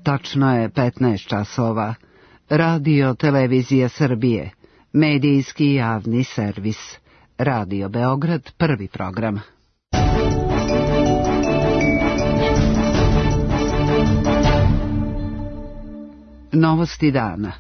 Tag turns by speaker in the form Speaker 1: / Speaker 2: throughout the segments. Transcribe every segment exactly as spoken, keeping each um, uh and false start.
Speaker 1: Tačno je petnaest časova. Radio Televizija Srbije, medijski javni servis. Radio Beograd, prvi program. Novosti dana.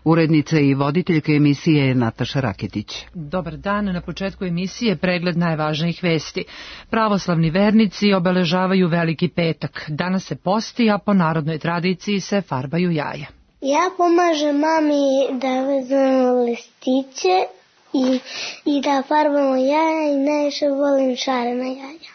Speaker 1: Urednica i voditeljka emisije je Nataša Raketić.
Speaker 2: Dobar dan, na početku emisije pregled najvažnijih vesti. Pravoslavni vernici obeležavaju Veliki petak. Danas se posti, a po narodnoj tradiciji se farbaju jaja.
Speaker 3: Ja pomažem mami da vezujemo listiće i, i da farbamo jaja i najviše volim šarena jaja.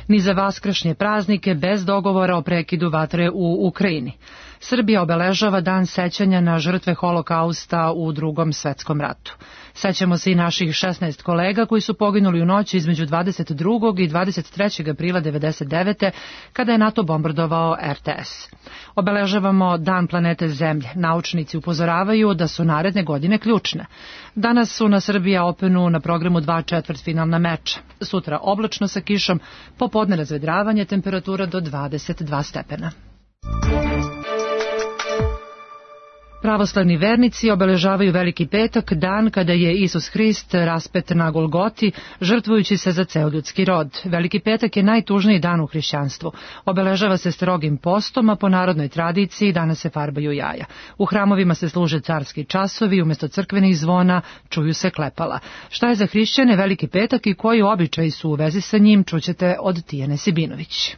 Speaker 2: Ni za vaskršnje praznike bez dogovora o prekidu vatre u Ukrajini. Srbija obeležava dan sećanja na žrtve Holokausta u Drugom svetskom ratu. Sećamo se i naših šesnaest kolega koji su poginuli u noći između dvadeset drugog i dvadeset trećeg aprila devedeset devete. kada je NATO bombardovao R T S. Obeležavamo Dan planete Zemlje. Naučnici upozoravaju da su naredne godine ključne. Danas su na Srbija Openu na programu dva četvrtfinalna meča. Sutra oblačno sa kišom, popodne razvedravanje, temperatura do dvadeset dva stepena. Pravoslavni vernici obeležavaju Veliki petak, dan kada je Isus Hrist raspet na Golgoti, žrtvujući se za ceo ljudski rod. Veliki petak je najtužniji dan u hrišćanstvu. Obeležava se strogim postom, a po narodnoj tradiciji danas se farbaju jaja. U hramovima se služe carski časovi, umjesto crkvenih zvona čuju se klepala. Šta je za hrišćane Veliki petak i koji običaji su u vezi sa njim, čućete od Tijane Sibinović.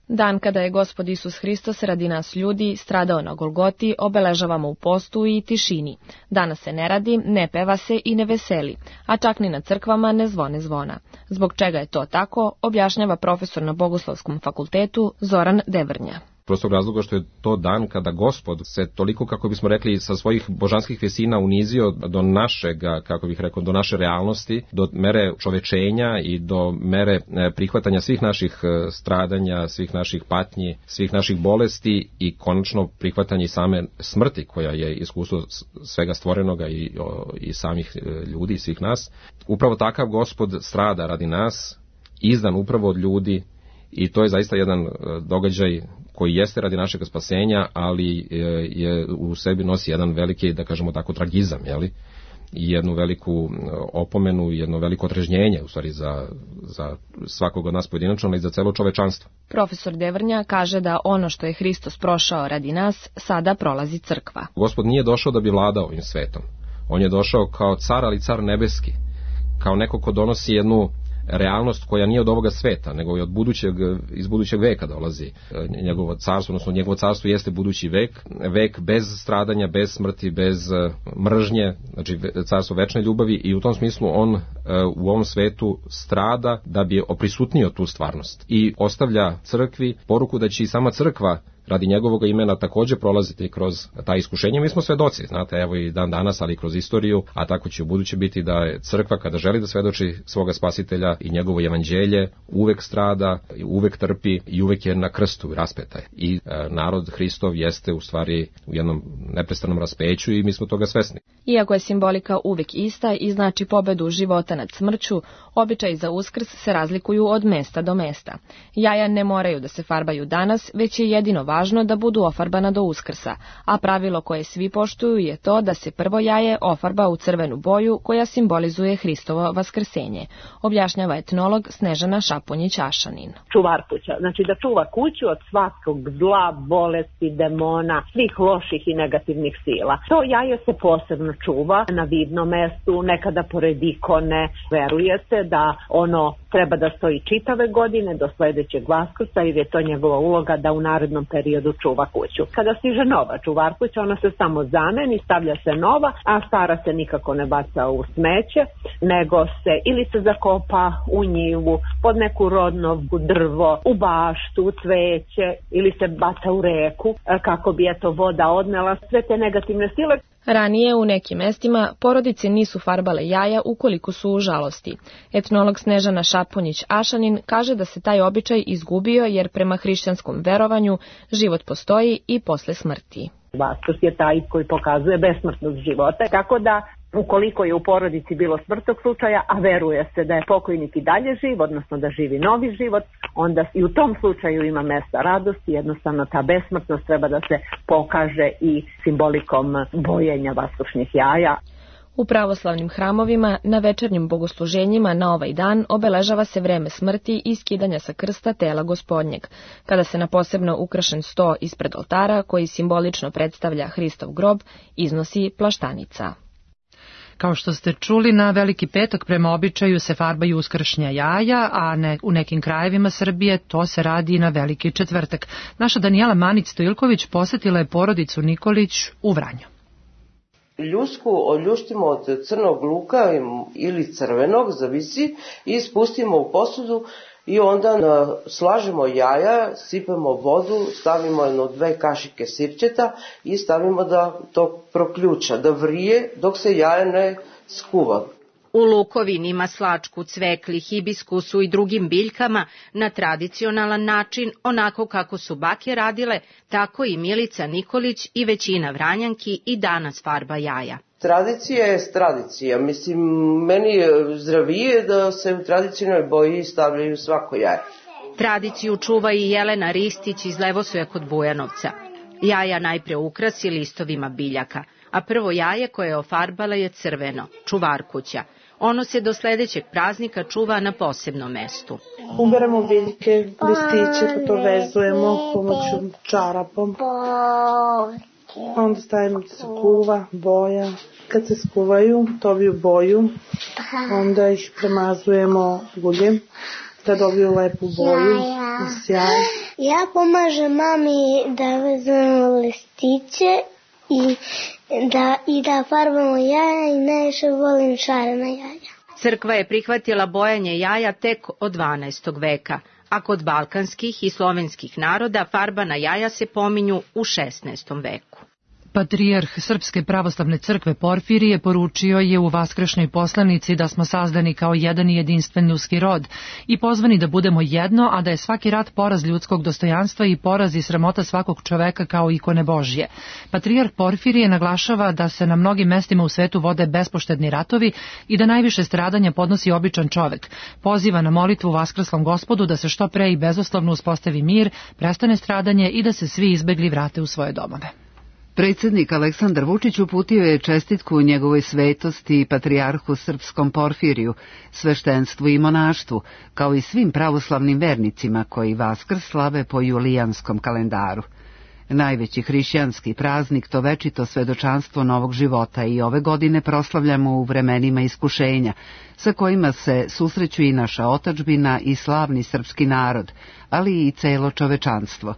Speaker 4: Dan kada je Gospod Isus Hristos radi nas ljudi stradao na Golgoti obeležavamo u postu i tišini. Danas se ne radi, ne peva se i ne veseli, a čak ni na crkvama ne zvone zvona. Zbog čega je to tako, objašnjava profesor na Bogoslovskom fakultetu Zoran Devrnja.
Speaker 5: Prostog razloga što je to dan kada Gospod se toliko, kako bismo rekli, sa svojih božanskih visina unizio do našega, kako bih rekao, do naše realnosti, do mere čovečenja i do mere prihvatanja svih naših stradanja, svih naših patnji, svih naših bolesti i konačno prihvatanje same smrti koja je iskustvo svega stvorenoga i, i samih ljudi i svih nas. Upravo takav Gospod strada radi nas, izdan upravo od ljudi. I to je zaista jedan događaj koji jeste radi našeg spasenja, ali je u sebi nosi jedan veliki, da kažemo tako, tragizam, jeli? I jednu veliku opomenu, jedno veliko otrežnjenje, u stvari, za, za svakog od nas pojedinačno, ali i za celo čovečanstvo.
Speaker 4: Profesor Devrnja kaže da ono što je Hristos prošao radi nas, sada prolazi crkva. Gospod
Speaker 5: nije došao da bi vladao ovim svetom. On je došao kao car, ali car nebeski, kao neko ko donosi jednu realnost koja nije od ovoga sveta, nego i od budućeg, iz budućeg veka dolazi njegovo carstvo, odnosno njegovo carstvo jeste budući vek, vek bez stradanja, bez smrti, bez mržnje, znači carstvo večne ljubavi i u tom smislu on u ovom svetu strada da bi oprisutnio tu stvarnost i ostavlja crkvi poruku da će i sama crkva radi njegovog imena također prolaziti kroz ta iskušenja. Mi smo svedoci, znate, evo i dan danas, ali i kroz istoriju, a tako će u buduće biti da je crkva kada želi da svedoči svoga spasitelja i njegovo evanđelje, uvek strada, uvek trpi i uvek je na krstu raspeta. I e, narod Hristov jeste u stvari u jednom neprestanom raspeću i mi smo toga svesni.
Speaker 4: Iako je simbolika uvek ista i znači pobedu života nad smrću, običaji za Uskrs se razlikuju od mesta do mesta. Jaja ne moraju da se farbaju danas, već je jedino važno da budu ofarbana do Uskrsa, a pravilo koje svi poštuju je to da se prvo jaje ofarba u crvenu boju koja simbolizuje Hristovo vaskrsenje, objašnjava etnolog Snežana Šaponjić-Ašanin.
Speaker 6: Čuvar kuća, znači da čuva kuću od svakog zla, bolesti, demona, svih loših i negativnih sila. To jaje se posebno čuva na vidnom mestu, nekada pored ikone. Veruje se da ono treba da stoji čitave godine do sledećeg Vaskrsa, jer je to njegova uloga da u narednom periodu čuva kuću. Kada stiže nova čuvar kuća, ona se samo zameni, stavlja se nova, a stara se nikako ne baca u smeće, nego se ili se zakopa u njivu, pod neku rodnovku, drvo, u baštu, u cveće, ili se baca u reku, kako bi eto voda odnela sve te negativne sile.
Speaker 4: Ranije u nekim mestima porodice nisu farbale jaja ukoliko su u žalosti. Etnolog Snežana Šaponjić-Ašanin kaže da se taj običaj izgubio jer prema hrišćanskom verovanju život postoji i posle smrti.
Speaker 6: Vaskrs je taj koji pokazuje besmrtnost života, tako da Ukoliko je u porodici bilo smrtnog slučaja, a veruje se da je pokojnik i dalje živ, odnosno da živi novi život, onda i u tom slučaju ima mesta radosti, jednostavno ta besmrtnost treba da se pokaže i simbolikom bojenja vaskršnjih jaja.
Speaker 4: U pravoslavnim hramovima na večernjim bogosluženjima na ovaj dan obeležava se vreme smrti i skidanja sa krsta tela Gospodnjeg, kada se na posebno ukrašen sto ispred oltara, koji simbolično predstavlja Hristov grob, iznosi plaštanica.
Speaker 2: Kao što ste čuli, na Veliki petak prema običaju se farbaju uskršnja jaja, a ne, u nekim krajevima Srbije to se radi i na Veliki četvrtak. Naša Danijela Manić-Stojilković posetila je porodicu Nikolić u Vranju.
Speaker 7: Ljusku oljuštimo od crnog luka ili crvenog, zavisi, i spustimo u posudu i onda slažemo jaja, sipemo vodu, stavimo jedno dve kašike sirćeta i stavimo da to proključa, da vrije dok se jaje ne skuva.
Speaker 8: U lukovini, maslačku, cvekli, hibiskusu i drugim biljkama na tradicionalan način, onako kako su bake radile, tako i Milica Nikolić i većina Vranjanki i danas farba jaja.
Speaker 7: Tradicija je tradicija. Mislim, meni je zdravije da se u tradicionalnoj boji stavljaju svako jaje.
Speaker 8: Tradiciju čuva i Jelena Ristić iz Levosoja kod Bujanovca. Jaja najpre ukrasi listovima biljaka, a prvo jaje koje je ofarbala je crveno, čuvarkuća. Ono se do sledećeg praznika čuva na posebnom mestu.
Speaker 9: Uberemo biljke, listiće, pa to vezujemo pomoću čarapom. Onda stavimo da se kuva, boja. Kad se skuvaju, dobiju boju, onda ih premazujemo uljem da dobiju lepu boju i sjaj.
Speaker 3: Ja pomažem mami da vezujemo listiće i da, i da farbamo jaja i najviše volim šarena jaja.
Speaker 8: Crkva je prihvatila bojanje jaja tek od dvanaestog veka, a kod balkanskih i slovenskih naroda farbana jaja se pominju u šesnaestom veku.
Speaker 2: Patrijarh Srpske pravoslavne crkve Porfirije poručio je u vaskršnjoj poslanici da smo sazdani kao jedan i jedinstven ljudski rod i pozvani da budemo jedno, a da je svaki rat poraz ljudskog dostojanstva i poraz i sramota svakog čoveka kao ikone Božje. Patrijarh Porfirije naglašava da se na mnogim mestima u svetu vode bespoštedni ratovi i da najviše stradanja podnosi običan čovek. Poziva na molitvu Vaskrslom Gospodu da se što pre i bezuslovno uspostavi mir, prestane stradanje i da se svi izbegli vrate u svoje domove.
Speaker 1: Predsjednik Aleksandar Vučić uputio je čestitku njegovoj svetosti i patrijarhu srpskom Porfiriju, sveštenstvu i monaštvu, kao i svim pravoslavnim vernicima koji Vaskrs slave po julijanskom kalendaru. Najveći hrišćanski praznik, to večito svedočanstvo novog života, i ove godine proslavljamo u vremenima iskušenja, sa kojima se susreću i naša otadžbina i slavni srpski narod, ali i celo čovečanstvo.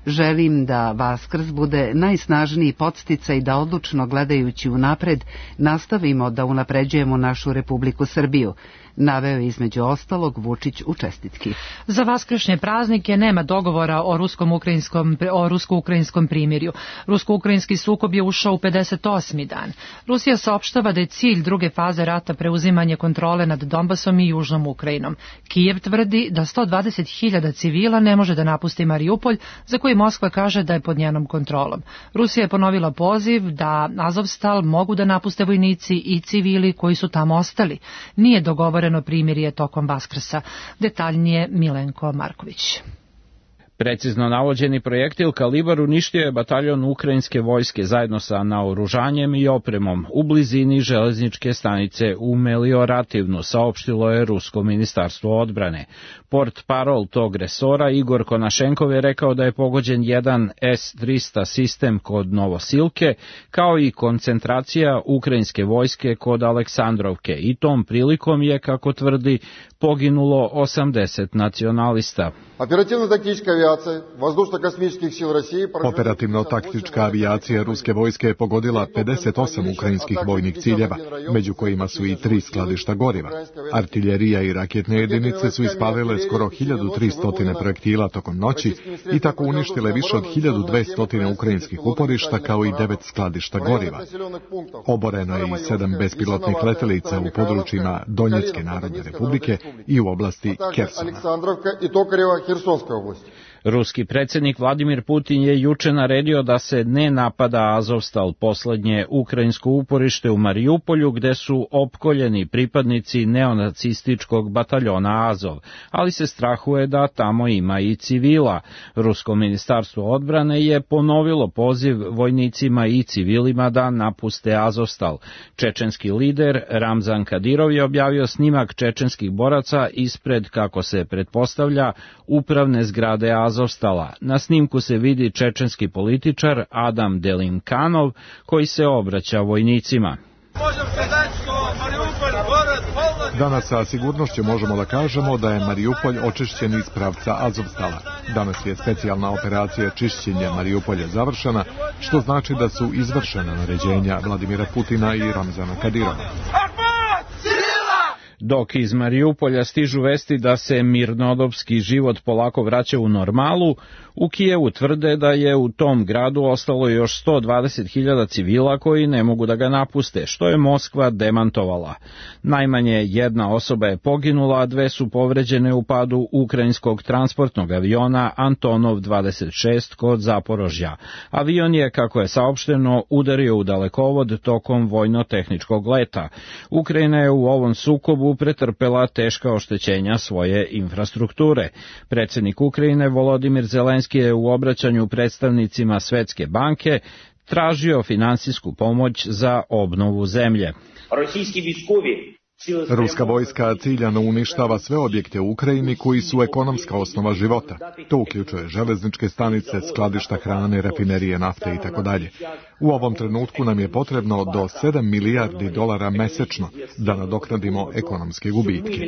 Speaker 1: Želim da Vaskrs bude najsnažniji podsticaj da odlučno gledajući unapred nastavimo da unapređujemo našu Republiku Srbiju, naveo između ostalog Vučić u čestitki.
Speaker 2: Za vaskršnje praznike nema dogovora o ruskom-ukrajinskom o rusko-ukrajinskom primirju. Rusko-ukrajinski sukob je ušao u pedeset osmi dan. Rusija saopštava da je cilj druge faze rata preuzimanje kontrole nad Donbasom i Južnom Ukrajinom. Kijev tvrdi da sto dvadeset hiljada civila ne može da napusti Mariupolj, za koji Moskva kaže da je pod njenom kontrolom. Rusija je ponovila poziv da Azovstal mogu da napuste vojnici i civili koji su tamo ostali. Nije dogovoreno primirje tokom Vaskrsa. Detaljnije Milenko Marković.
Speaker 10: Precizno navođeni projektil kalibar uništio je bataljon ukrajinske vojske zajedno sa naoružanjem i opremom u blizini železničke stanice u Meliorativnu, saopštilo je Rusko ministarstvo odbrane. Port parol tog resora Igor Konašenkov je rekao da je pogođen jedan S trista sistem kod Novosilke, kao i koncentracija ukrajinske vojske kod Aleksandrovke, i tom prilikom je, kako tvrdi, poginulo osamdeset nacionalista.
Speaker 11: Operativno-taktička avijacija vazdušno-kosmičkih sil Rusije...
Speaker 12: Operativno-taktička avijacija ruske vojske je pogodila pedeset osam ukrajinskih vojnih ciljeva, među kojima su i tri skladišta goriva. Artiljerija i raketne jedinice su ispalile skoro hiljadu tristo projektila tokom noći i tako uništile više od hiljadu dvesta ukrajinskih uporišta, kao i devet skladišta goriva. Oboreno je i sedam bespilotnih letelica u područjima Donjecke narodne republike i u oblasti Kersona.
Speaker 10: Ruski predsjednik Vladimir Putin je juče naredio da se ne napada Azovstal, poslednje ukrajinsko uporište u Marijupolju, gde su opkoljeni pripadnici neonacističkog bataljona Azov, ali se strahuje da tamo ima i civila. Rusko ministarstvo odbrane je ponovilo poziv vojnicima i civilima da napuste Azovstal. Čečenski lider Ramzan Kadirov je objavio snimak čečenskih boraca ispred, kako se pretpostavlja, upravne zgrade Azovstala. Na snimku se vidi čečenski političar Adam Delimkanov koji se obraća vojnicima.
Speaker 12: Danas sa sigurnošću možemo da kažemo da je Marijupolj očišćen iz pravca Azovstala. Danas je specijalna operacija čišćenja Marijupolja završena, što znači da su izvršena naređenja Vladimira Putina i Ramzana Kadirova.
Speaker 10: Dok iz Marijupolja stižu vesti da se mirnodopski život polako vraća u normalu, u Kijevu tvrde da je u tom gradu ostalo još sto dvadeset hiljada civila koji ne mogu da ga napuste, što je Moskva demantovala. Najmanje jedna osoba je poginula, a dve su povređene u padu ukrajinskog transportnog aviona Antonov dvadeset šest kod Zaporožja. Avion je, kako je saopšteno, udario u dalekovod tokom vojno-tehničkog leta. Ukrajina je u ovom sukobu pretrpela teška oštećenja svoje infrastrukture. Predsjednik Ukrajine Volodimir Zelenski je u obraćanju predstavnicima Svetske banke tražio finansijsku pomoć za obnovu zemlje.
Speaker 12: Ruska vojska ciljano uništava sve objekte u Ukrajini koji su ekonomska osnova života. To uključuje železničke stanice, skladišta hrane, rafinerije nafte itd. U ovom trenutku nam je potrebno do sedam milijardi dolara mesečno da nadoknadimo ekonomske gubitke.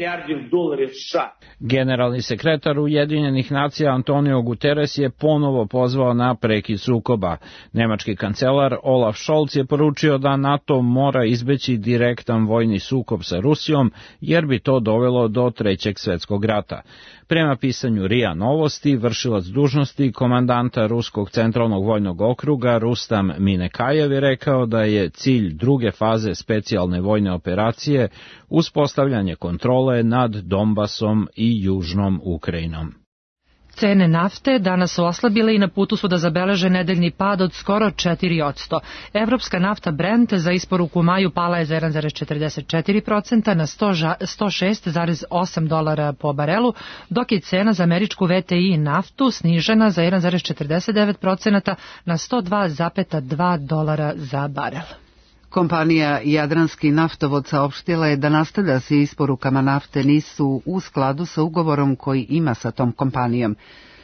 Speaker 10: Generalni sekretar Ujedinjenih nacija Antonio Guterres je ponovo pozvao na prekid sukoba. Nemački kancelar Olaf Scholz je poručio da NATO mora izbeći direktan vojni sukob sa Rusijom, jer bi to dovelo do Trećeg svjetskog rata. Prema pisanju R I A Novosti, vršilac dužnosti komandanta Ruskog centralnog vojnog okruga Rustam Minekajev je rekao da je cilj druge faze specijalne vojne operacije uspostavljanje kontrole nad Donbasom i južnom Ukrajinom.
Speaker 2: Cene nafte danas su oslabile i na putu su da zabeleže nedeljni pad od skoro četiri posto. Evropska nafta Brent za isporuku u maju pala je za jedan zarez četrdeset četiri posto na sto šest zarez osam dolara po barelu, dok je cena za američku V T I naftu snižena za jedan zarez četrdeset devet posto na sto dva zarez dva dolara za barel.
Speaker 1: Kompanija Jadranski naftovod saopštila je da nastavlja se isporukama nafte nisu u skladu sa ugovorom koji ima sa tom kompanijom.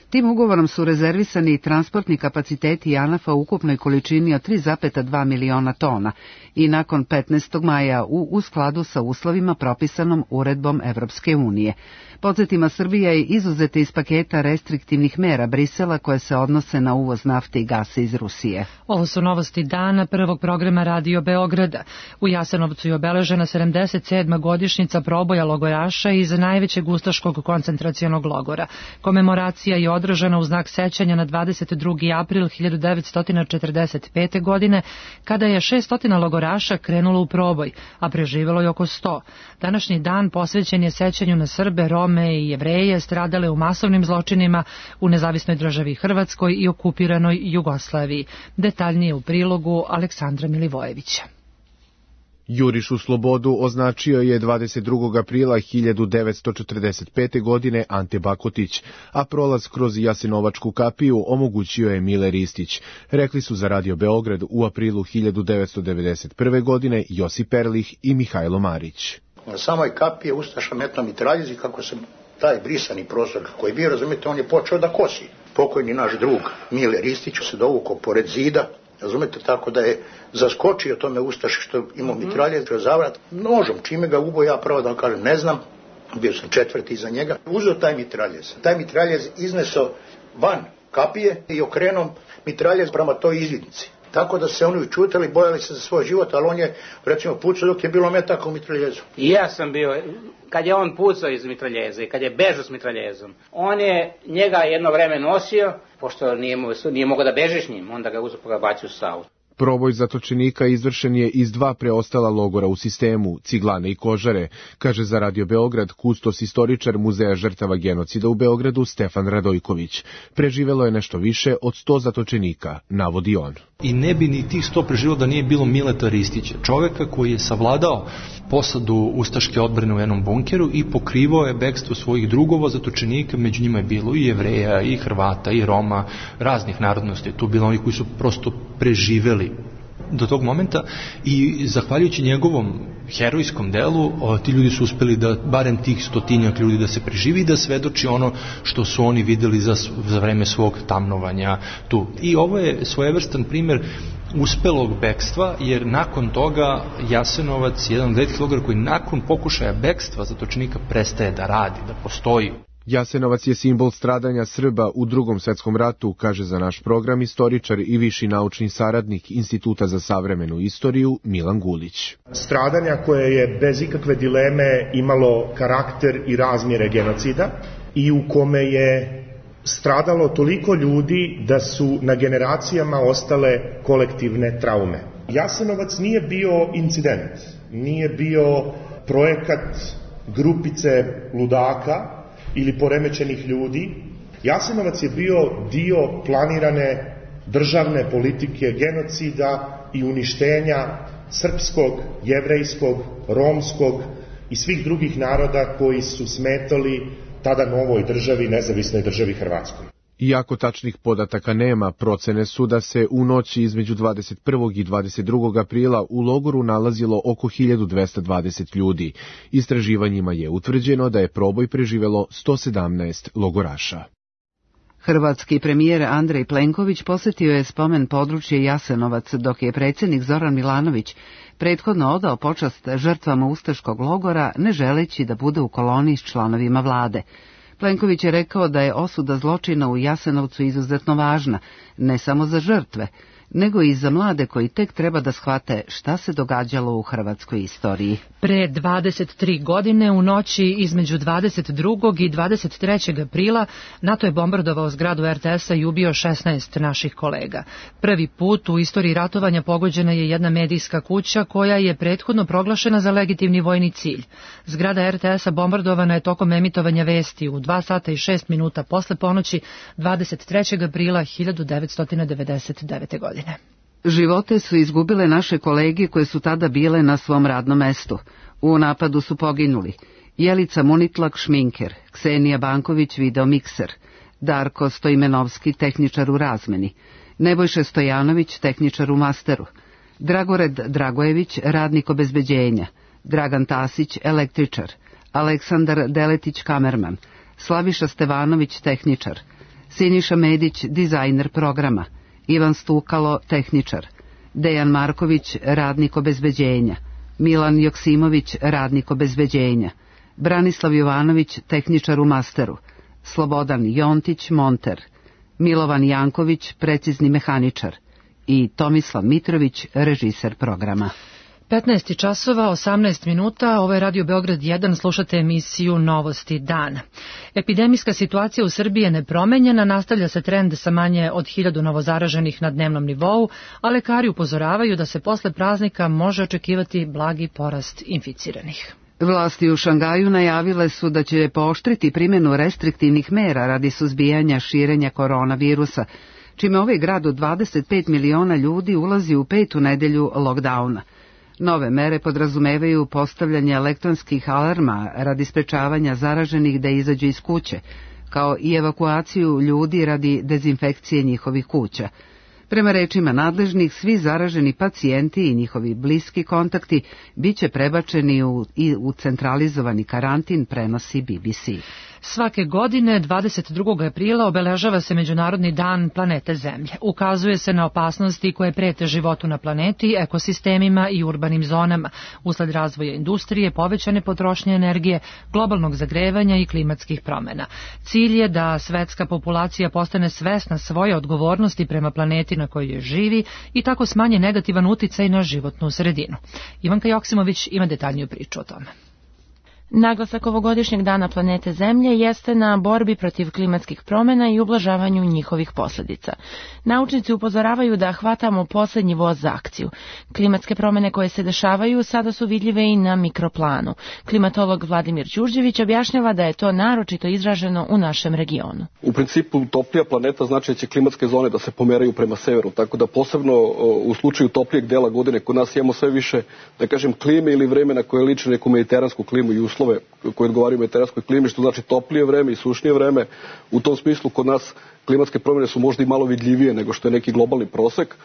Speaker 1: Tim ugovorom su rezervisani transportni kapaciteti JANAF-a u ukupnoj količini od tri zarez dva miliona tona i nakon petnaestog maja u, u skladu sa uslovima propisanom uredbom Evropske unije. Podsjetima, Srbija je izuzeta iz paketa restriktivnih mera Brisela koje se odnose na uvoz nafte i gasa iz Rusije.
Speaker 2: Ovo su novosti dana prvog programa Radio Beograda. U Jasenovcu je obeležena sedamdeset sedma godišnjica proboja logoraša iz najvećeg ustaškog koncentracionog logora. Komemoracija je održana u znak sećanja na dvadeset drugi april hiljadu devetsto četrdeset pete. godine, kada je šessto logoraša krenulo u proboj, a preživelo je oko sto. Današnji dan posvećen je sećanju na Srbe, Rome i Jevreje stradale u masovnim zločinima u nezavisnoj državi Hrvatskoj i okupiranoj Jugoslaviji. Detaljnije u prilogu Aleksandra Milivojevića.
Speaker 13: Juriš u slobodu označio je dvadeset drugog aprila hiljadu devetsto četrdeset pete. godine Ante Bakotić, a prolaz kroz Jasenovačku kapiju omogućio je Mile Ristić. Rekli su za Radio Beograd u aprilu hiljadu devetsto devedeset prve. godine Josip Erlih i Mihajlo Marić.
Speaker 14: Na samoj kapiji je ustaša metno mitraljezi, kako se taj brisani prostor koji je bio, razumete, on je počeo da kosi. Pokojni naš drug Mile Ristić se dovukao pored zida, razumete, tako da je zaskočio tome ustaši što imao mitraljez, zavrat nožom, čime ga ubo, ja pravo da vam kažem, ne znam, bio sam četvrti iza njega, uzeo taj mitraljez. Taj mitraljez izneso van kapije i okrenuo mitraljez prema toj izvidnici. Tako da se oni učutali, bojali se za svoj život, ali on je, recimo, pucao dok je bilo metaka u mitraljezu.
Speaker 15: I ja sam bio, kad je on pucao iz mitraljeza i kad je bežao s mitraljezom, on je njega jedno vreme nosio, pošto nije, nije mogao da beže s njim, onda ga uzeo pa ga bacio u Savu.
Speaker 13: Proboj zatočenika izvršen je iz dva preostala logora u sistemu, Ciglane i Kožare, kaže za Radio Beograd kustos istoričar Muzeja žrtava genocida u Beogradu Stefan Radojković. Preživelo je nešto više od sto zatočenika, navodi on.
Speaker 16: I ne bi ni tih sto preživelo da nije bilo Mileta Ristića, čoveka koji je savladao posadu ustaške odbrane u jednom bunkeru i pokrivao je bekstvo svojih drugova zatočenika, među njima je bilo i Jevreja, i Hrvata, i Roma, raznih narodnosti. Tu bilo oni koji su prosto preživeli do tog momenta i zahvaljujući njegovom herojskom delu, ti ljudi su uspeli da, barem tih stotinjak ljudi da se preživi i da svedoči ono što su oni videli za, za vreme svog tamnovanja tu. I ovo je svojevrstan primer uspelog bekstva, jer nakon toga Jasenovac je jedan od retkih logora koji nakon pokušaja bekstva zatočenika prestaje da radi, da postoji.
Speaker 13: Jasenovac je simbol stradanja Srba u Drugom svetskom ratu, kaže za naš program istoričar i viši naučni saradnik Instituta za savremenu istoriju Milan Gulić.
Speaker 17: Stradanja koje je bez ikakve dileme imalo karakter i razmjere genocida i u kome je stradalo toliko ljudi da su na generacijama ostale kolektivne traume. Jasenovac nije bio incident, nije bio projekat grupice ludaka ili poremećenih ljudi. Jasenovac je bio dio planirane državne politike genocida i uništenja srpskog, jevrejskog, romskog i svih drugih naroda koji su smetali tada novoj državi, nezavisnoj državi Hrvatskoj.
Speaker 13: Iako tačnih podataka nema, procene su da se u noći između dvadeset prvog i dvadeset drugog aprila u logoru nalazilo oko hiljadu dvesta dvadeset ljudi. Istraživanjima je utvrđeno da je proboj preživelo sto sedamnaest logoraša.
Speaker 1: Hrvatski premijer Andrej Plenković posjetio je spomen područje Jasenovac, dok je predsjednik Zoran Milanović prethodno odao počast žrtvama ustaškog logora, ne želeći da bude u koloni s članovima vlade. Plenković je rekao da je osuda zločina u Jasenovcu izuzetno važna, ne samo za žrtve, nego i za mlade koji tek treba da shvate šta se događalo u hrvatskoj istoriji.
Speaker 2: Pre dvadeset tri godine u noći između dvadeset drugog i dvadeset trećeg aprila NATO je bombardovao zgradu er te esa i ubio šesnaest naših kolega. Prvi put u istoriji ratovanja pogođena je jedna medijska kuća koja je prethodno proglašena za legitimni vojni cilj. Zgrada er te esa bombardovana je tokom emitovanja vesti u dva sata i šest minuta posle ponoći dvadeset trećeg aprila hiljadu devetsto devedeset devete. godine.
Speaker 1: Živote su izgubile naše kolege koje su tada bile na svom radnom mestu. U napadu su poginuli Jelica Munitlak, šminker, Ksenija Banković, videomikser, Darko Stoimenovski, tehničar u razmeni, Nebojša Stojanović, tehničar u masteru, Dragored Dragojević, radnik obezbeđenja, Dragan Tasić, električar, Aleksandar Deletić, kamerman, Slaviša Stevanović, tehničar, Siniša Medić, dizajner programa, Ivan Stukalo, tehničar, Dejan Marković, radnik obezbeđenja, Milan Joksimović, radnik obezbeđenja, Branislav Jovanović, tehničar u masteru, Slobodan Jontić, monter, Milovan Janković, precizni mehaničar i Tomislav Mitrović, režiser programa.
Speaker 2: petnaest časova, osamnaest minuta, ovo je Radio Beograd jedan, slušate emisiju Novosti dana. Epidemijska situacija u Srbiji je nepromenjena, nastavlja se trend sa manje od hiljadu novozaraženih na dnevnom nivou, a lekari upozoravaju da se posle praznika može očekivati blagi porast inficiranih.
Speaker 1: Vlasti u Šangaju najavile su da će pooštriti primjenu restriktivnih mera radi suzbijanja širenja koronavirusa, čime ovaj grad od dvadeset pet miliona ljudi ulazi u petu nedelju lockdowna. Nove mere podrazumevaju postavljanje elektronskih alarma radi sprečavanja zaraženih da izađu iz kuće, kao i evakuaciju ljudi radi dezinfekcije njihovih kuća. Prema rečima nadležnih, svi zaraženi pacijenti i njihovi bliski kontakti biće prebačeni u, i u centralizovani karantin, prenosi B B C.
Speaker 2: Svake godine, dvadeset drugog aprila, obeležava se Međunarodni dan planete Zemlje. Ukazuje se na opasnosti koje prete životu na planeti, ekosistemima i urbanim zonama, usled razvoja industrije, povećane potrošnje energije, globalnog zagrevanja i klimatskih promjena. Cilj je da svetska populacija postane svesna svoje odgovornosti prema planeti na kojoj živi i tako smanje negativan uticaj na životnu sredinu. Ivanka Joksimović ima detaljniju priču o tome. Naglasak ovogodišnjeg dana planete Zemlje jeste na borbi protiv klimatskih promjena i ublažavanju njihovih posljedica. Naučnici upozoravaju da hvatamo posljednji voz za akciju. Klimatske promjene koje se dešavaju sada su vidljive i na mikroplanu. Klimatolog Vladimir Đurđević objašnjava da je to naročito izraženo u našem regionu.
Speaker 18: U principu toplija planeta znači da će klimatske zone da se pomeraju prema severu, tako da posebno u slučaju toplijeg dela godine kod nas imamo sve više, da kažem, klime ili vremena koje liči neku mediteransku klimu i uslove koje odgovaraju mediteranskoj klimi, što znači toplije vreme i sušnije vreme. U tom smislu kod nas klimatske promjene su možda i malo vidljivije nego što je neki globalni prosek,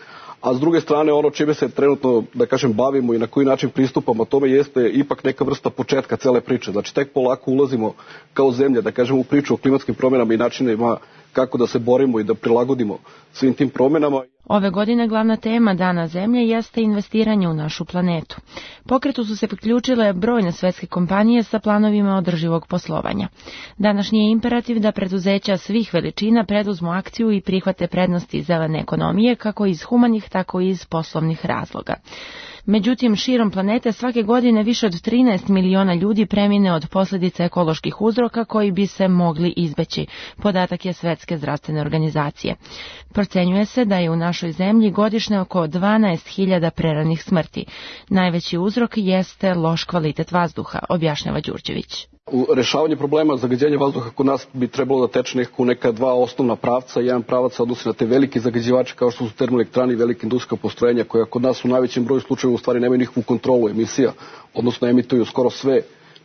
Speaker 18: a s druge strane ono čime se trenutno, da kažem, bavimo i na koji način pristupamo tome jeste ipak neka vrsta početka cele priče. Znači tek polako ulazimo kao zemlja, da kažem, u priču o klimatskim promjenama i načinima kako da se borimo i da prilagodimo svim tim promjenama.
Speaker 2: Ove godine glavna tema Dana Zemlje jeste investiranje u našu planetu. Pokretu su se priključile brojne svetske kompanije sa planovima održivog poslovanja. Današnji je imperativ da preduzeća svih veličina preduzmu akciju i prihvate prednosti zelene ekonomije kako iz humanih, tako i iz poslovnih razloga. Međutim, širom planete svake godine više od trinaest miliona ljudi premine od posljedica ekoloških uzroka koji bi se mogli izbeći, podatak je Svetske zdravstvene organizacije. Procenjuje se da je u našoj zemlji godišnje oko dvanaest hiljada preranih smrti. Najveći uzrok jeste loš kvalitet vazduha, objašnjava Đurđević.
Speaker 18: U rešavanju problema zagađenja vazduha kod nas bi trebalo da teče nekako neka dva osnovna pravca. Jedan pravac se odnosi na te velike zagađivače kao što su termoelektrane i velike industrijska postrojenja koja kod nas u najvećem broju slučajeva u stvari nemaju nikakvu kontrolu emisija, odnosno emituju skoro sve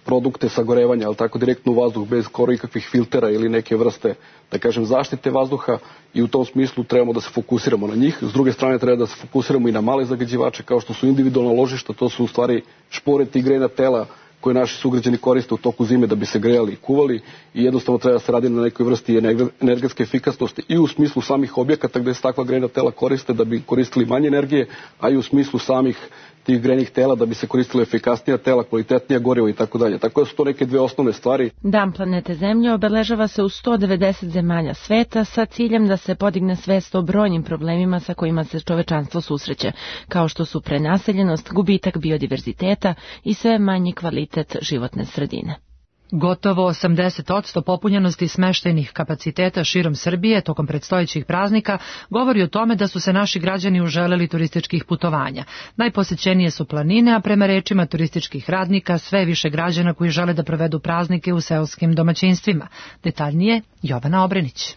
Speaker 18: produkte sagorevanja, ali tako direktno u vazduh bez skoro ikakvih filtera ili neke vrste, da kažem, zaštite vazduha, i u tom smislu trebamo da se fokusiramo na njih. S druge strane treba da se fokusiramo i na male zagađivače kao što su individualna ložišta, to su u stvari šporeti i grejna tela koje naši sugrađani koriste u toku zime da bi se grejali i kuvali, i jednostavno treba da se radi na nekoj vrsti energetske efikasnosti i u smislu samih objekata gde se takva grejna tela koriste da bi koristili manje energije, a i u smislu samih tih grejnih tela da bi se koristile efikasnija tela, kvalitetnija goriva i tako dalje. Tako da su to neke dve osnovne stvari.
Speaker 2: Dan planete Zemlje obeležava se u sto devedeset zemalja sveta sa ciljem da se podigne svest o brojnim problemima sa kojima se čovečanstvo susreće, kao što su prenaseljenost, gubitak biodiverziteta i sve manji kvalitet životne sredine. Gotovo osamdeset posto popunjenosti smeštajnih kapaciteta širom Srbije tokom predstojećih praznika govori o tome da su se naši građani uželeli turističkih putovanja. Najposećenije su planine, a prema rečima turističkih radnika sve više građana koji žele da provedu praznike u seoskim domaćinstvima. Detaljnije Jovana Obrenić.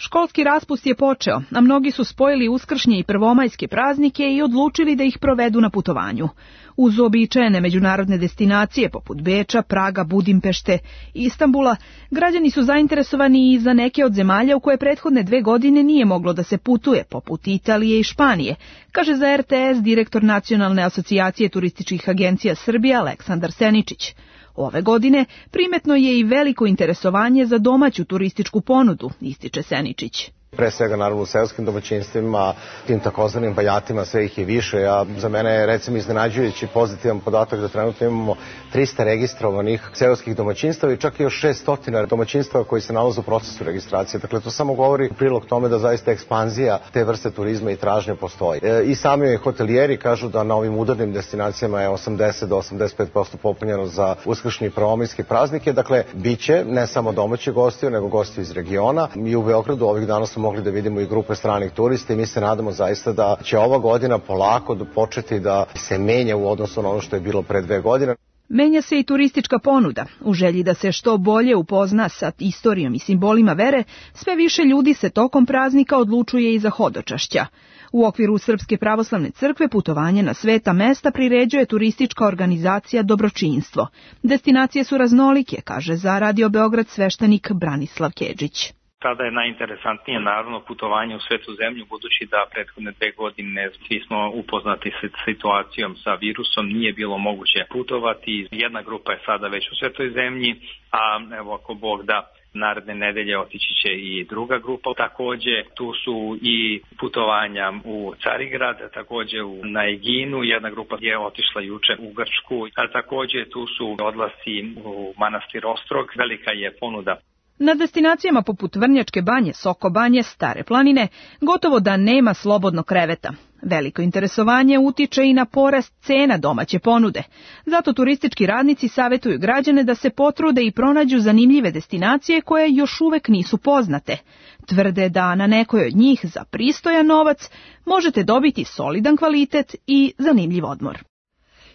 Speaker 19: Školski raspust je počeo, a mnogi su spojili uskršnje i prvomajske praznike i odlučili da ih provedu na putovanju. Uz uobičajene međunarodne destinacije poput Beča, Praga, Budimpešte i Istanbula, građani su zainteresovani i za neke od zemalja u koje prethodne dve godine nije moglo da se putuje, poput Italije i Španije, kaže za R T S direktor Nacionalne asocijacije turističkih agencija Srbije Aleksandar Seničić. Ove godine primetno je i veliko interesovanje za domaću turističku ponudu, ističe Seničić.
Speaker 20: Pre svega naravno u seoskim domaćinstvima, tim takozvanim bajatima, sve ih je više. A za mene je recimo iznenađujući pozitivan podatak da trenutno imamo trista registrovanih seoskih domaćinstava i čak i još šessto domaćinstava koji se nalaze u procesu registracije. Dakle, to samo govori u prilog tome da zaista ekspanzija te vrste turizma i tražnje postoji. E, I sami hotelijeri kažu da na ovim udarnim destinacijama je osamdeset do osamdeset pet posto popunjeno za uskršnje i prvomajske praznike. Dakle, biće ne samo domaći gostiju, nego gostiju iz regiona. I u Beogradu ovih dana smo mogli da vidimo i grupe stranih turista i mi se nadamo zaista da će ova godina polako početi da se menja u odnosu na ono što je bilo pre dve godine.
Speaker 19: Menja se i turistička ponuda. U želji da se što bolje upozna sa istorijom i simbolima vere, sve više ljudi se tokom praznika odlučuje i za hodočašća. U okviru Srpske pravoslavne crkve putovanje na sveta mesta priređuje turistička organizacija Dobročinstvo. Destinacije su raznolike, kaže za Radio Beograd sveštenik Branislav Kedžić.
Speaker 21: Tada je najinteresantnije naravno putovanje u svetu zemlju, budući da prethodne dve godine svi smo upoznati s situacijom sa virusom, nije bilo moguće putovati. Jedna grupa je sada već u svetoj zemlji, a evo ako Bog da, naredne nedelje otići će i druga grupa. Takođe tu su i putovanja u Carigrad, takođe na Eginu, jedna grupa je otišla juče u Grčku, a takođe tu su odlasci u manastir Ostrog, velika je ponuda.
Speaker 19: Na destinacijama poput Vrnjačke banje, Soko banje, Stare planine gotovo da nema slobodnog kreveta. Veliko interesovanje utiče i na porast cena domaće ponude. Zato turistički radnici savjetuju građane da se potrude i pronađu zanimljive destinacije koje još uvek nisu poznate. Tvrde da na nekoj od njih za pristojan novac možete dobiti solidan kvalitet i zanimljiv odmor.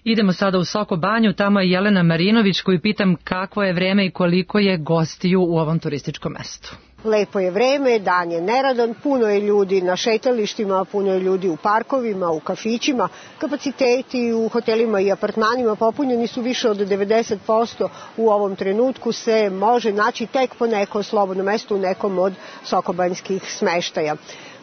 Speaker 2: Idemo sada u Soko banju, tamo je Jelena Marinović koju pitam kakvo je vreme i koliko je gostiju u ovom turističkom mestu.
Speaker 5: Lepo je vreme, dan je neradan, puno je ljudi na šetalištima, puno je ljudi u parkovima, u kafićima. Kapaciteti u hotelima i apartmanima popunjeni su više od devedeset posto. U ovom trenutku se može naći tek po neko slobodno mesto u nekom od sokobanjskih smeštaja.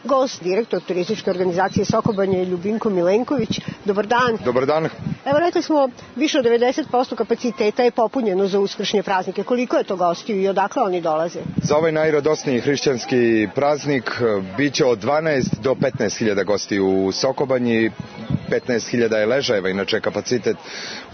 Speaker 5: Gost, direktor turističke organizacije Soko banje je Ljubinko Milenković. Dobar dan.
Speaker 22: Dobar dan.
Speaker 5: Evo, rekli smo, više od devedeset posto kapaciteta je popunjeno za uskršnje praznike. Koliko je to gostiju i odakle oni dolaze?
Speaker 22: Za ovaj najradosniji hrišćanski praznik biće od dvanaest do petnaest hiljada gostiju u Soko banji. petnaest hiljada je ležajeva, inače kapacitet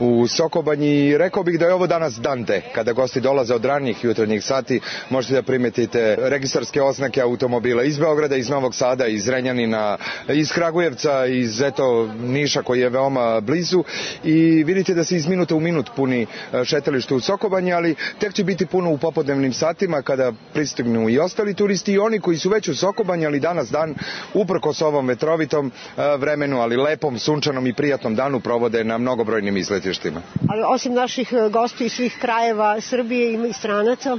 Speaker 22: u Soko banji. Rekao bih da je ovo danas dan D. Kada gosti dolaze od ranijih jutarnjih sati, možete da primetite registarske oznake automobila iz Beograda, iz Novog Sada, iz Renjanina, iz Kragujevca, iz eto Niša koji je veoma blizu i vidite da se iz minuta u minut puni šetalište u Soko banji, ali tek će biti puno u popodnevnim satima kada pristignu i ostali turisti i oni koji su već u Soko banji, ali danas dan uprkos ovom vetrovitom vremenu, ali lepom, sunčanom i prijatnom danu provode na mnogobrojnim izletištima.
Speaker 5: Ali osim naših gostiju iz svih krajeva Srbije ima i stranaca?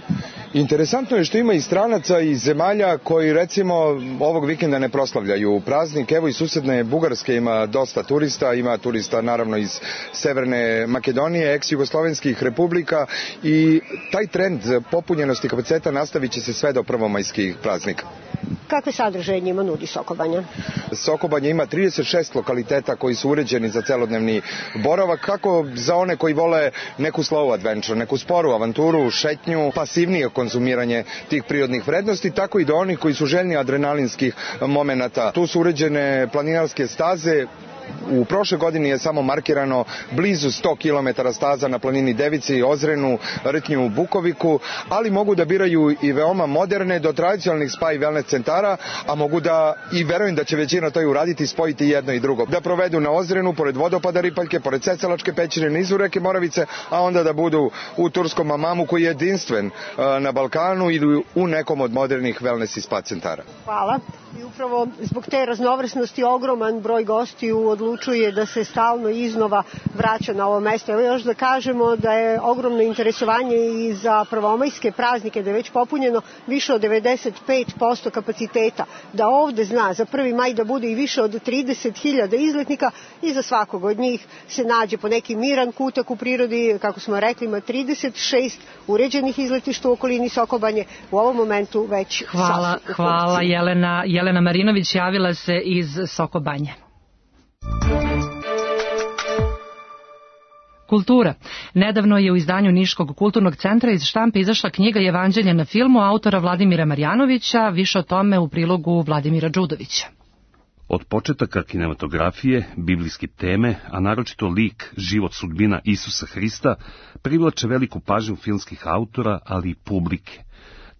Speaker 22: Interesantno je što ima i stranaca iz zemalja koji recimo ovog vikenda ne proslavljaju praznik. Evo i susedne Bugarske ima dosta turista, ima turista naravno iz Severne Makedonije, ex-jugoslovenskih republika i taj trend popunjenosti kapaciteta nastavit će se sve do prvomajskih praznika.
Speaker 5: Kakve sadržaje njima nudi Soko banja?
Speaker 22: Soko banja ima trideset šest lokaliteta koji su uređeni za celodnevni boravak, kako za one koji vole neku slow adventure, neku sporu avanturu, šetnju, pasivnije konzumiranje tih prirodnih vrednosti, tako i do onih koji su željni adrenalinskih momenata. Tu su uređene planinarske staze. U prošle godini je samo markirano blizu sto kilometara staza na planini Devici, Ozrenu, Rtnju, Bukoviku, ali mogu da biraju i veoma moderne do tradicionalnih spa i wellness centara, a mogu da, i verujem da će većina to i uraditi, spojiti jedno i drugo. Da provedu na Ozrenu, pored vodopada Ripaljke, pored Cecalačke pećine, nizu reke Moravice, a onda da budu u turskom Amamu koji je jedinstven na Balkanu ili u nekom od modernih wellness i spa centara.
Speaker 5: Hvala. I upravo zbog te raznovrsnosti ogroman broj gostiju odlučuje da se stalno iznova vraća na ovo mesto. Evo još da kažemo da je ogromno interesovanje i za prvomajske praznike, da je već popunjeno više od devedeset pet posto kapaciteta, da ovde zna za prvi maj da bude i više od trideset hiljada izletnika i za svakog od njih se nađe po neki miran kutak u prirodi. Kako smo rekli, ima trideset šest uređenih izletišta u okolini Soko banje, u ovom momentu već
Speaker 2: hvala, hvala Jelena, Jelena Marinović javila se iz Soko banje. Kultura. Nedavno je u izdanju Niškog kulturnog centra iz štampe izašla knjiga Jevanđelje na filmu autora Vladimira Marjanovića, više o tome u prilogu Vladimira Đudovića.
Speaker 23: Od početaka kinematografije, biblijske teme, a naročito lik, život, sudbina Isusa Hrista, privlače veliku pažnju filmskih autora, ali i publike.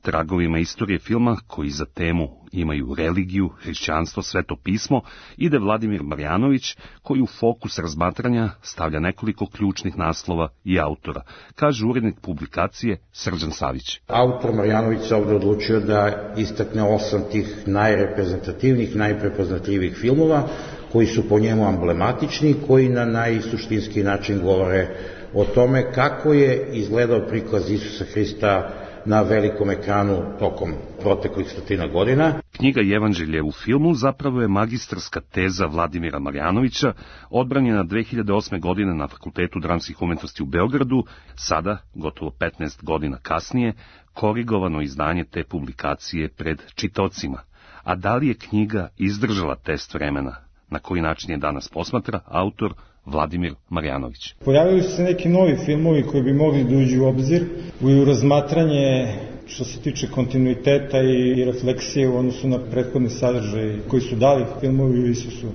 Speaker 23: Tragovima istorije filma, koji za temu imaju religiju, hrišćanstvo, sveto pismo, ide Vladimir Marjanović, koji u fokus razmatranja stavlja nekoliko ključnih naslova i autora, kaže urednik publikacije Srđan Savić.
Speaker 24: Autor Marjanović se ovdje odlučio da istakne osam tih najreprezentativnih, najprepoznatljivih filmova, koji su po njemu emblematični, koji na najsuštinski način govore o tome kako je izgledao prikaz Isusa Hrista na velikom ekranu tokom proteklih stotina godina.
Speaker 23: Knjiga Jevanđelje u filmu zapravo je magistarska teza Vladimira Marjanovića, odbranjena dve hiljade osme. godine na Fakultetu dramskih umetnosti u Beogradu, sada, gotovo petnaest godina kasnije, korigovano izdanje te publikacije pred čitaocima. A da li je knjiga izdržala test vremena? Na koji način je danas posmatra autor Vladimir Marjanović.
Speaker 25: Pojavili su se neki novi filmovi koji bi mogli da uđu u obzir u razmatranje što se tiče kontinuiteta i refleksije u odnosu na prethodne sadržaje koji su dali filmovi u Isusu.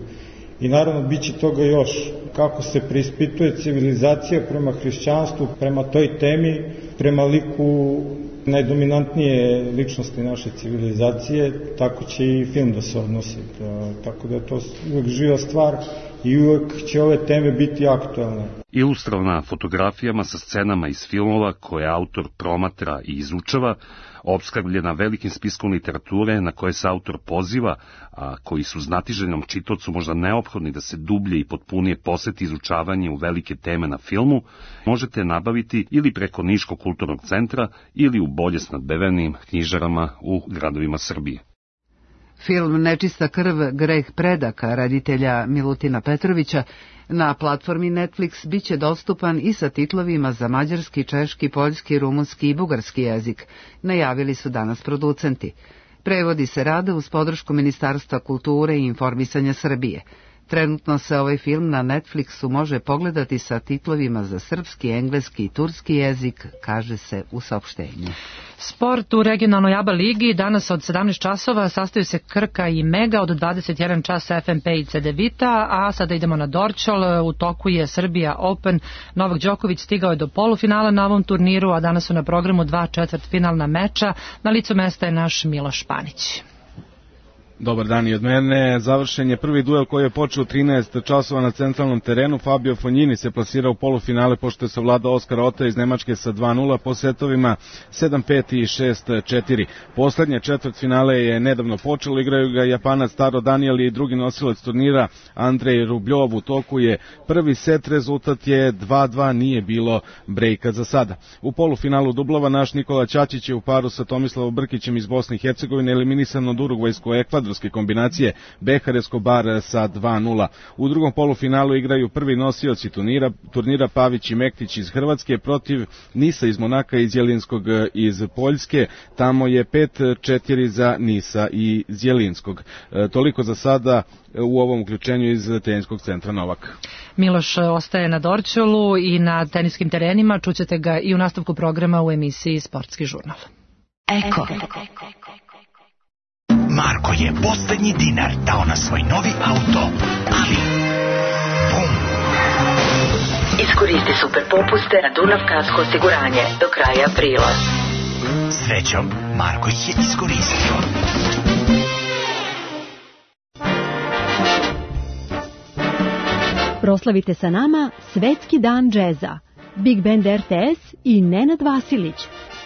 Speaker 25: I naravno bit će toga još. Kako se preispituje civilizacija prema hrišćanstvu, prema toj temi, prema liku najdominantnije ličnosti naše civilizacije, tako će i film da se odnosi. Tako da je to uvek živa stvar i uvek će ove teme biti aktualne.
Speaker 23: Ilustrovana fotografijama sa scenama iz filmova koje autor promatra i izučava, opskrbljena velikim spiskom literature na koje se autor poziva, a koji su znatiželjnom čitaocu možda neophodni da se dublje i potpunije posveti izučavanje u velike teme na filmu, možete nabaviti ili preko Niškog kulturnog centra ili u bolje snadbevenim knjižarama u gradovima Srbije.
Speaker 1: Film Nečista krv, greh predaka reditelja Milutina Petrovića na platformi Netflix biće dostupan i sa titlovima za mađarski, češki, poljski, rumunski i bugarski jezik, najavili su danas producenti. Prevodi se rade uz podršku Ministarstva kulture i informisanja Srbije. Trenutno se ovaj film na Netflixu može pogledati sa titlovima za srpski, engleski i turski jezik, kaže se u saopštenju.
Speaker 2: Sport u regionalnoj ABA ligi danas od sedamnaest časova sastaju se Krka i Mega, od dvadeset jedan čas F M P i Cedevita, a sada idemo na Dorćol, u toku je Srbija Open. Novak Đoković stigao je do polufinala na ovom turniru, a danas su na programu dva četvrtfinalna meča. Na licu mesta je naš Miloš Panić.
Speaker 3: Dobar dan i od mene. Završen je prvi duel koji je počeo u trinaest časova na centralnom terenu. Fabio Fognini se plasirao u polufinale pošto je savladao Oskara Ota iz Nemačke sa dva nula po setovima sedam pet i šest četiri. Poslednje četvrtfinale je nedavno počelo, igraju ga Japanac Taro Daniel i drugi nosilac turnira Andrej Rubljov. U toku je prvi set, rezultat je dva dva, nije bilo brejka za sada. U polufinalu dublova naš Nikola Ćačić je u paru sa Tomislavom Brkićem iz Bosne i Hercegovine eliminisan od urugvajsko-ekvadorske kombinacije Behar Escobar sa dva nula. U drugom polufinalu igraju prvi nosioci turnira, turnira Pavić i Mektić iz Hrvatske protiv Nisa iz Monaka i iz Jelinskog iz Poljske. Tamo je pet četiri za Nisa i iz Jelinskog. E, toliko za sada u ovom uključenju iz teniskog centra Novak.
Speaker 2: Miloš ostaje na Dorćolu i na teniskim terenima. Čućete ga i u nastavku programa u emisiji Sportski žurnal.
Speaker 4: Eko. Marko je poslednji dinar dao na svoj novi auto, ali bum!
Speaker 6: Iskoristi super popuste na Dunav Kasko osiguranje do kraja aprila.
Speaker 4: Srećom, Marko ih je iskoristio.
Speaker 7: Proslavite sa nama Svetski dan džeza. Big Band R T S i Nenad Vasilić.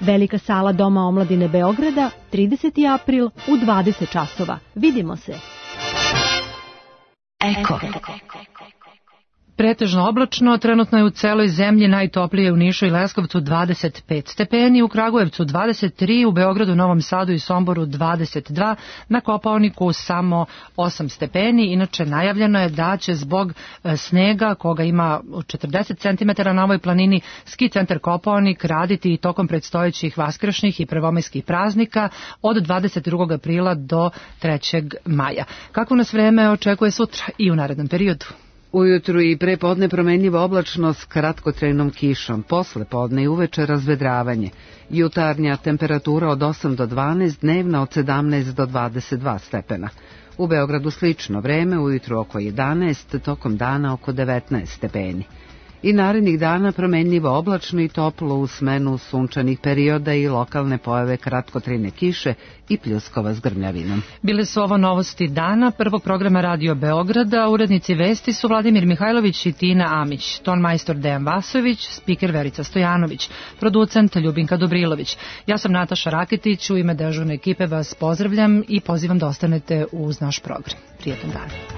Speaker 7: Velika sala Doma omladine Beograda, trideseti april u dvadeset časova. Vidimo se.
Speaker 6: Eko.
Speaker 2: Pretežno oblačno, trenutno je u celoj zemlji, najtoplije u Nišu i Leskovcu dvadeset pet stepeni, u Kragujevcu dvadeset tri, u Beogradu, Novom Sadu i Somboru dvadeset dva, na Kopaoniku samo osam stepeni. Inače, najavljeno je da će zbog snega, koga ima četrdeset centimetara na ovoj planini, ski centar Kopaonik raditi i tokom predstojećih vaskršnjih i prvomajskih praznika od dvadeset drugog aprila do trećeg maja. Kako nas vreme očekuje sutra i u narednom periodu?
Speaker 1: Ujutru i pre podne promenljiva oblačnost s kratkotrajnom kišom, posle podne i uveče razvedravanje. Jutarnja temperatura od osam do dvanaest, dnevna od sedamnaest do dvadeset dva stepena. U Beogradu slično vreme, ujutru oko jedanaest, tokom dana oko devetnaest stepeni. I narednih dana promenljivo oblačno i toplo u smenu sunčanih perioda i lokalne pojave kratkotrajne kiše i pljuskova s grmljavinom.
Speaker 2: Bile su ovo novosti dana prvog programa Radio Beograda. Urednici vesti su Vladimir Mihajlović i Tina Amić, ton majstor Dejan Vasović, spiker Verica Stojanović, producent Ljubinka Dobrilović. Ja sam Nataša Raketić, u ime dežurne ekipe vas pozdravljam i pozivam da ostanete uz naš program. Prijetan dan.